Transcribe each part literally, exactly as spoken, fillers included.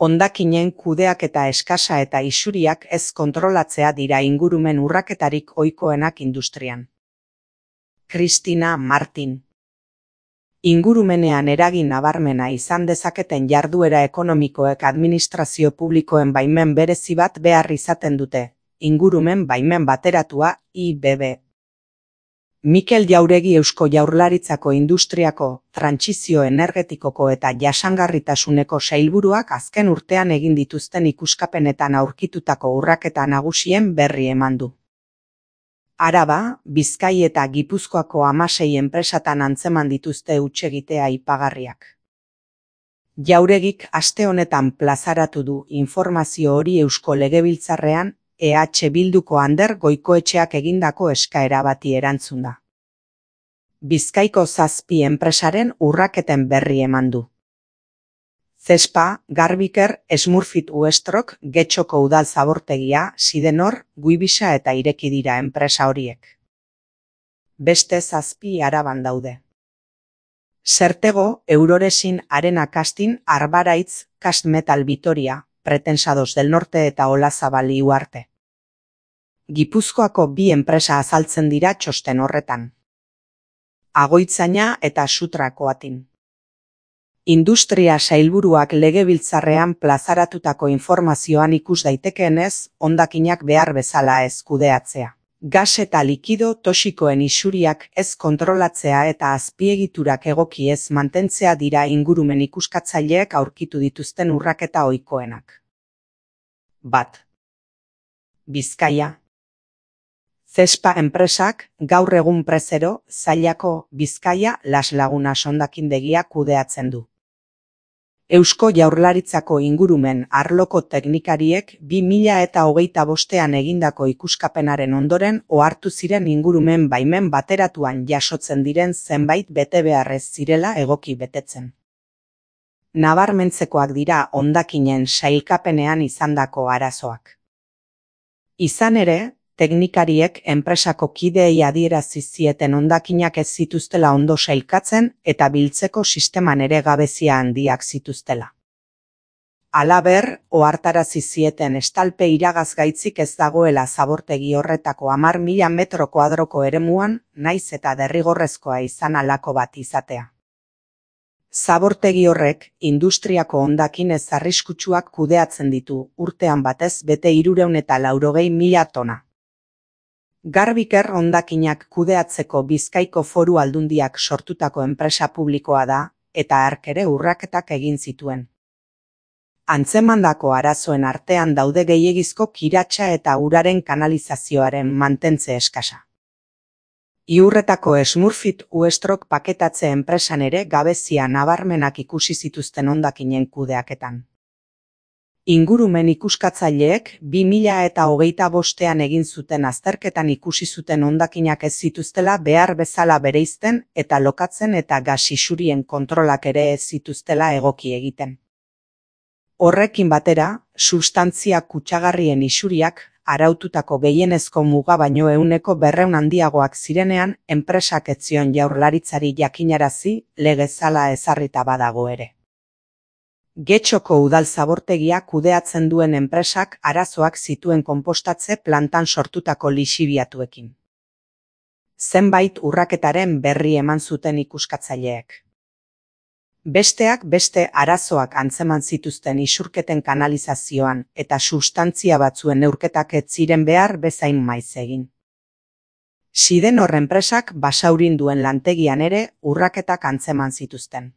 Hondakinen kudeaketa eskasa eta isuriak ez kontrolatzea dira ingurumen urraketarik ohikoenak industrian. Cristina Martin. Ingurumenean eragin nabarmena izan dezaketen jarduera ekonomikoek administrazio publikoen baimen berezi bat behar izaten dute, ingurumen baimen bateratua, I B B. Mikel Jauregi Eusko Jaurlaritzako Industriako, Trantsizio Energetikoko eta Jasangarritasuneko sailburuak azken urtean egin dituzten ikuskapenetan aurkitutako urraketa nagusien berri eman du. Araba, Bizkai eta Gipuzkoako hamasei enpresatan antzeman dituzte hutsegitea aipagarriak. Jauregik aste honetan plazaratu du informazio hori Eusko Legebiltzarrean, E H Bilduko Ander Goikoetxeak egindako eskaera bati erantzunda. Bizkaiko zazpi enpresaren urraketen berri eman du. Zespa, Garbiker, Smurfit Uestrok, Getxoko udal zabortegia, Sidenor, Guibisa eta ireki dira enpresa horiek. Beste zazpi Araban daude. Sertego, Euroresin, Arena Castin, Arbaraitz, Cast Metal Vitoria, Pretensados del Norte eta Olazabal Iuarte. Gipuzkoako bi enpresa azaltzen dira txosten horretan. Agoitzaina eta Sutrakoatin. Industria sailburuak legebiltzarrean plazaratutako informazioan ikus daitekeenez, hondakinak behar bezala ez kudeatzea. Gas eta likido toxikoen isuriak ez kontrolatzea eta azpiegiturak egoki ez mantentzea dira ingurumen ikuskatzaileek aurkitu dituzten urraketa ohikoenak. Bat. Bizkaia. Zespa enpresak, gaur egun Prezero, Zailako, Bizkaia, Las Lagunas hondakindegia kudeatzen du. Eusko Jaurlaritzako ingurumen arloko teknikariek bi mila eta hogeita bostean egindako ikuskapenaren ondoren ohartu ziren ingurumen baimen bateratuan jasotzen diren zenbait betebeharrez zirela egoki betetzen. Nabarmentzekoak dira hondakinen sailkapenean izandako arazoak. Izan ere, teknikariek enpresako kideei adierazi zieten hondakinak ez zituztela ondo sailkatzen eta biltzeko sisteman ere gabezia handiak zituztela. Halaber, ohartarazi zieten estalpe iragazgaitzik ez dagoela zabortegi horretako hamar mila metro kuadroko eremuan, naiz eta derrigorrezkoa izan halako bat izatea. Zabortegi horrek, industriako hondakin ez arriskutsuak kudeatzen ditu, urtean batez bete hirurehun eta laurogei mila tona. Garbiker hondakinak kudeatzeko Bizkaiko Foru Aldundiak sortutako enpresa publikoa da, eta hark ere urraketak egin zituen. Antzemandako arazoen artean daude gehiegizko kiratsa eta uraren kanalizazioaren mantentze eskasa. Iurretako Smurfit Uestrok paketatze enpresan ere gabezia nabarmenak ikusi zituzten hondakinen kudeaketan. Ingurumen ikuskatzaileek bi mila eta hogeita bostean egin zuten azterketan ikusi zuten hondakinak ez zituztela behar bezala bereizten eta lokatzen eta gas isurien kontrolak ere ez zituztela egoki egiten. Horrekin batera, substantzia kutsagarrien isuriak araututako gehienezko muga baino ehuneko berrehun handiagoak zirenean, enpresak ez zion Jaurlaritzari jakinarazi legezala ezarrita badago ere. Getxoko udal zabortegia kudeatzen duen enpresak arazoak zituen konpostatze plantan sortutako lixibiatuekin. Zenbait urraketaren berri eman zuten ikuskatzaileek. Besteak beste arazoak antzeman zituzten isurketen kanalizazioan eta substantzia batzuen neurketak ez ziren behar bezain maiz egin. Sidenor enpresak Basaurin duen lantegian ere urraketak antzeman zituzten.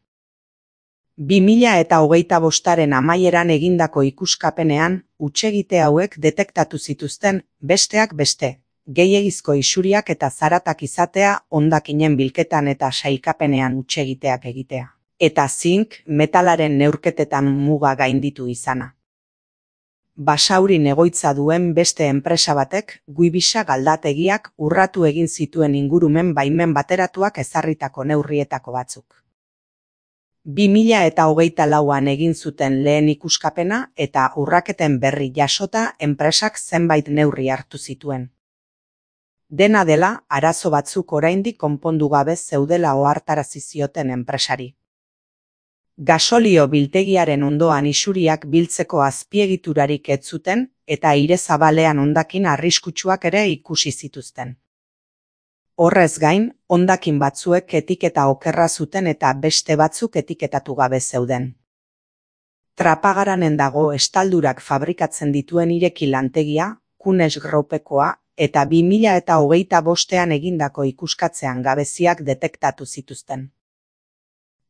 bi mila eta hogeita bostaren amaieran egindako ikuskapenean, hutsegite hauek detektatu zituzten, besteak beste, gehiegizko isuriak eta zaratak izatea hondakinen bilketan eta sailkapenean hutsegiteak egitea. Eta zink, metalaren neurketetan muga gainditu izana. Basaurin egoitza duen beste enpresa batek, Guibisa galdategiak urratu egin zituen ingurumen baimen bateratuak ezarritako neurrietako batzuk. bi mila eta hogeita lauan egin zuten lehen ikuskapena eta urraketen berri jasota enpresak zenbait neurri hartu zituen. Dena dela, arazo batzuk oraindik konpondu gabe zeudela ohartarazi zioten enpresari. Gasolio biltegiaren ondoan isuriak biltzeko azpiegiturarik ez zuten eta aire zabalean hondakin arriskutsuak ere ikusi zituzten. Horrez gain, hondakin batzuek etiketa okerra zuten eta beste batzuk etiketatu gabe zeuden. Trapagaranen dago estaldurak fabrikatzen dituen ireki lantegia, Kunes Groupekoa, eta bi mila eta hogeita bostean egindako ikuskatzean gabeziak detektatu zituzten.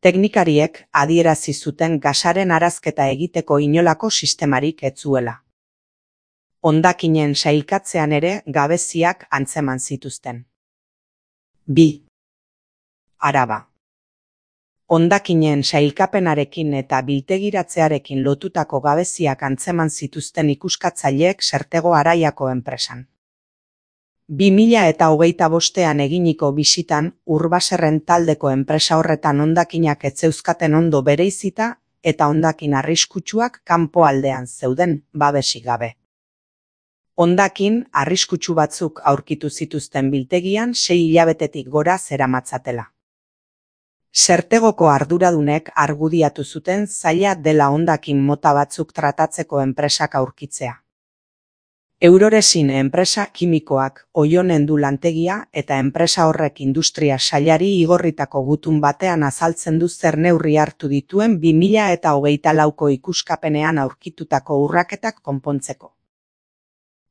Teknikariek adierazi zuten gasaren arazketa egiteko inolako sistemarik ez zuela. Hondakinen sailkatzean ere gabeziak antzeman zituzten. bi. Araba. Hondakinen sailkapenarekin eta biltegiratzearekin lotutako gabeziak antzeman zituzten ikuskatzaileek Sertego Araiako enpresan. bi mila eta hogeita bostean eginiko bisitan Urbaserren taldeko enpresa horretan hondakinak ez zeuzkaten ondo bereizita eta hondakin arriskutsuak kanpoaldean zeuden babesik gabe. Hondakin arriskutsu batzuk aurkitu zituzten biltegian sei hilabetetik gora zeramatzatela. Sertegoko arduradunek argudiatu zuten zaila dela hondakin mota batzuk tratatzeko enpresak aurkitzea. Euroresin enpresa kimikoak Oionen du lantegia eta enpresa horrek industria sailari igorritako gutun batean azaltzen du zer neurri hartu dituen bi mila eta hogeita lauko ikuskapenean aurkitutako urraketak konpontzeko.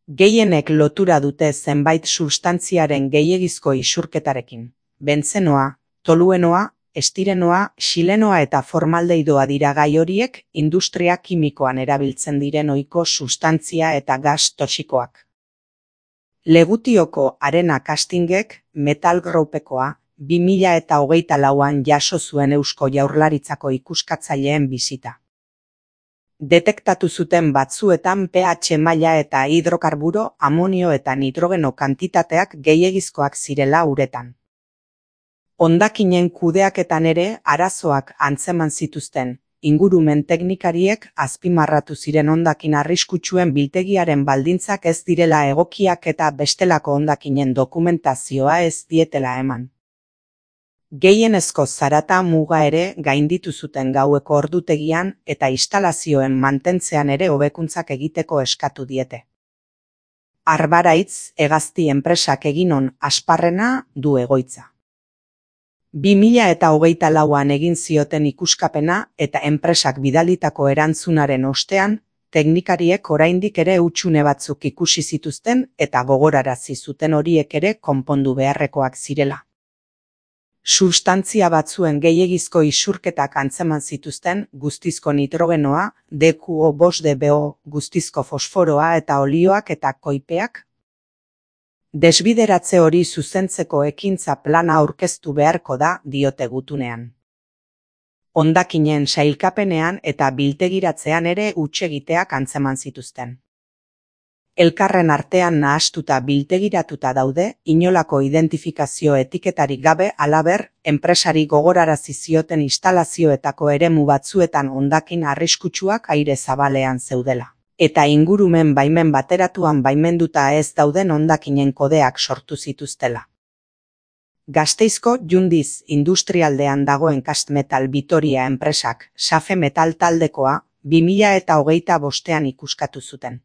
Gehienek lotura dute zenbait substantziaren gehiegizko isurketarekin. Bentzenoa, toluenoa, estirenoa, xilenoa eta formaldehitoa dira gai horiek industria kimikoan erabiltzen diren ohiko substantzia eta gas toxikoak. Legutioko Arena Castingek Metal Groupekoa bi mila eta hogeita lauan jaso zuen Eusko Jaurlaritzako ikuskatzaileen bisita. Detektatu zuten batzuetan pH maila eta hidrokarburo, amonio eta nitrogeno kantitateak gehiegizkoak zirela uretan. Hondakinen kudeaketan ere arazoak antzeman zituzten, ingurumen teknikariek azpimarratu ziren hondakin arriskutsuen biltegiaren baldintzak ez direla egokiak eta bestelako hondakinen dokumentazioa ez dietela eman. Gehienezko zarata muga ere gainditu zuten gaueko ordutegian eta instalazioen mantentzean ere hobekuntzak egiteko eskatu diete. Arbaraitz hegazti enpresak eginon Asparrena du egoitza. bi mila eta hogeita lauan egin zioten ikuskapena eta enpresak bidalitako erantzunaren ostean, teknikariek oraindik ere hutsune batzuk ikusi zituzten eta gogorarazi zuten horiek ere konpondu beharrekoak zirela. Substantzia batzuen gehiegizko isurketak antzeman zituzten guztizko nitrogenoa, D Q O bost D B O, guztizko fosforoa eta olioak eta koipeak. Desbideratze hori zuzentzeko ekintza plana aurkeztu beharko da diote gutunean. Hondakinen sailkapenean eta biltegiratzean ere hutsegiteak antzeman zituzten. Elkarren artean nahastuta biltegiratuta daude, inolako identifikazio etiketarik gabe halaber, enpresari gogorarazi zioten instalazioetako eremu batzuetan hondakin arriskutsuak aire zabalean zeudela. Eta ingurumen baimen bateratuan baimenduta ez dauden hondakinen kodeak sortu zituztela. Gasteizko Jundiz industrialdean dagoen Castmetal Vitoria enpresak Safe Metal taldekoa bi mila eta hogeita bostean ikuskatu zuten.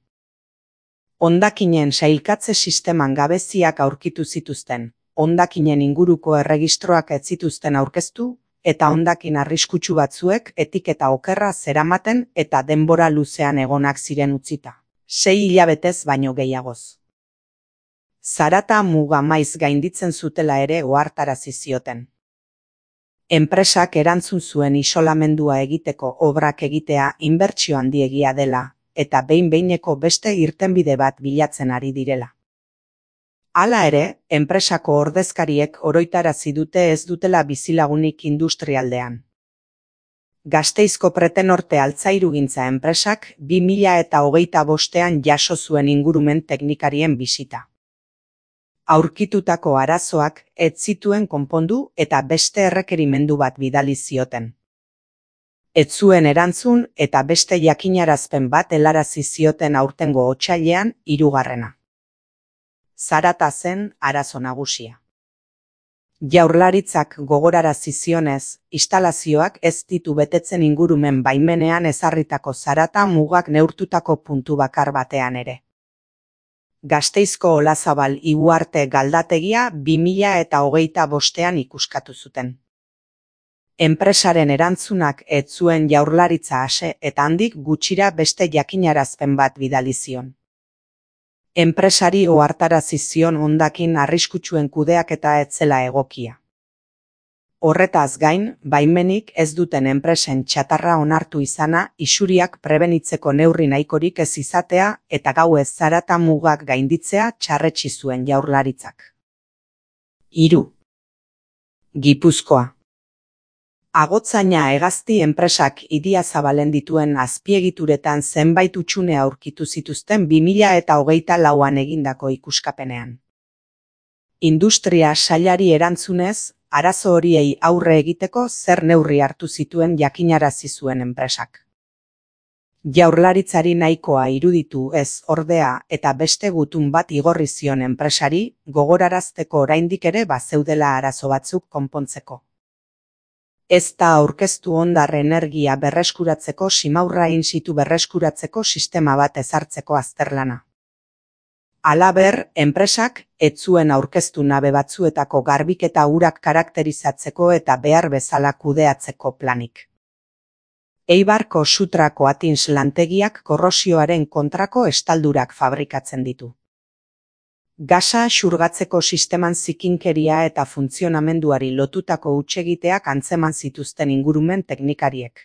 Hondakinen sailkatze sisteman gabeziak aurkitu zituzten, hondakinen inguruko erregistroak ez zituzten aurkeztu, eta hondakin arriskutsu batzuek etiketa okerra zeramaten eta denbora luzean egonak ziren utzita. Sei hilabetez baino gehiagoz. Zarata muga maiz gainditzen zutela ere ohartarazi zioten. Enpresak erantzun zuen isolamendua egiteko obrak egitea inbertsio handiegia dela, eta behin-behineko beste irtenbide bat bilatzen ari direla. Hala ere, enpresako ordezkariek oroitarazi dute ez dutela bizilagunik industrialdean. Gasteizko Pretenorte altzairugintza enpresak bi mila eta hogeita bostean jaso zuen ingurumen teknikarien bisita. Aurkitutako arazoak ez zituen konpondu eta beste errekerimendu bat bidali zioten. Ez zuen erantzun eta beste jakinarazpen bat helarazi zioten aurtengo otsailean hirugarrena. Zarata zen arazo nagusia. Jaurlaritzak gogorarazi zionez, instalazioak ez ditu betetzen ingurumen baimenean ezarritako zarata mugak neurtutako puntu bakar batean ere. Gasteizko Olazabal Ibuarte galdategia bi mila eta hogeita bostean ikuskatu zuten. Enpresaren erantzunak ez zuen Jaurlaritza ase eta handik gutxira beste jakinarazpen bat bidali zion. Enpresari ohartarazi zion hondakin arriskutsuen kudeaketa ez zela egokia. Horretaz gain, baimenik ez duten enpresen txatarra onartu izana, isuriak prebenitzeko neurri nahikorik ez izatea eta gauez zarata mugak gainditzea txarretsi zuen Jaurlaritzak. Hiru. Gipuzkoa. Agotzaina hegazti enpresak Idiazabalen dituen azpiegituretan zenbait hutsune aurkitu zituzten bi mila eta hogeita lauan egindako ikuskapenean. Industria sailari erantzunez, arazo horiei aurre egiteko zer neurri hartu zituen jakinarazi zuen enpresak. Jaurlaritzari nahikoa iruditu ez ordea eta beste gutun bat igorri zion enpresari, gogorarazteko oraindik ere bazeudela arazo batzuk konpontzeko. Ez da aurkeztu hondar energia berreskuratzeko simaurra in situ berreskuratzeko sistema bat ezartzeko azterlana. Halaber, enpresak ez zuen aurkeztu nabe batzuetako garbiketa urak karakterizatzeko eta behar bezala kudeatzeko planik. Eibarko Sutrako Atins lantegiak korrosioaren kontrako estaldurak fabrikatzen ditu. Gasa xurgatzeko sisteman zikinkeria eta funtzionamenduari lotutako hutsegiteak antzeman zituzten ingurumen teknikariek.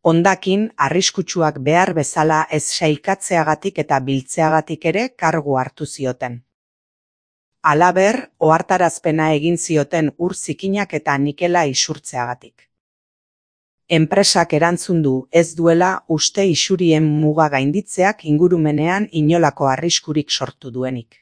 Hondakin, arriskutsuak behar bezala ez sailkatzeagatik eta biltzeagatik ere kargu hartu zioten. Halaber, ohartarazpena egin zioten ur zikinak eta nikela isurtzeagatik. Enpresak erantzun du ez duela uste isurien muga gainditzeak ingurumenean inolako arriskurik sortu duenik.